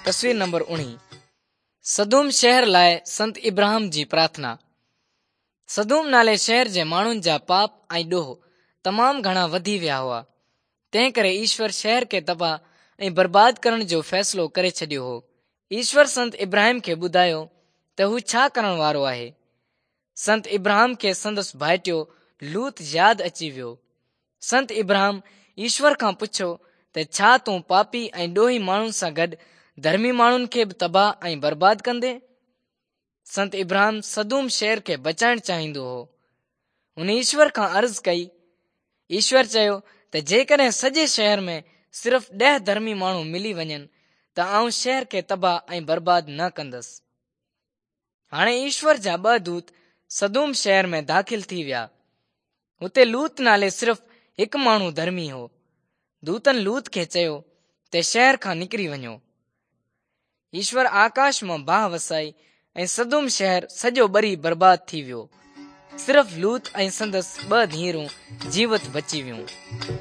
تصوير نمبر 19 سدوم شهر لاء سنت ابراهم جي پرارٿنا. سدوم نالي شهر جي ماڻهن جا پاپ ۽ ڏوهه تمام گهڻا وڌي ويا هئا، تنهن ڪري ايشور شهر کي تباهه ۽ برباد ڪرڻ جو فيصلو ڪري ڇڏيو هو. ايشور سنت ابراهيم کي ٻڌايو ته هو ڇا ڪرڻ وارو آهي. سنت ابراهم کي سندس ڀائٽيو لوط ياد اچي ويو. سنت ابراهم ايشور کان پڇيو ته ڇا تون پاپي ۽ ڏوهي ماڻهن سان گڏ ڌرمي ماڻهن کي به تباهه ۽ برباد ڪندين؟ سنت ابراهم سدوم شهر کي بچائڻ چاهيندو هو. هن ايشور کان عرض ڪئي. ايشور چيو ته جيڪڏهن سڄي شهر ۾ صرف 10 ڌرمي ماڻهو ملي وڃن ته آئون شهر کي تباهه ۽ برباد نه ڪندس. هاڻي ايشور جا ٻه دوت سدوم شهر ۾ داخل ٿي ويا. هتي لوط نالي صرف هڪ ماڻهو ڌرمي هو. دوتن لوط کي چيو ته شهر کان نڪري وڃو. ايشور آڪاش مان باهه وسائي ۽ سدوم شهر سڄو ٻري برباد ٿي ويو. صرف لوط ۽ سندس ٻه ڌيئرون جيوت بچي ويون.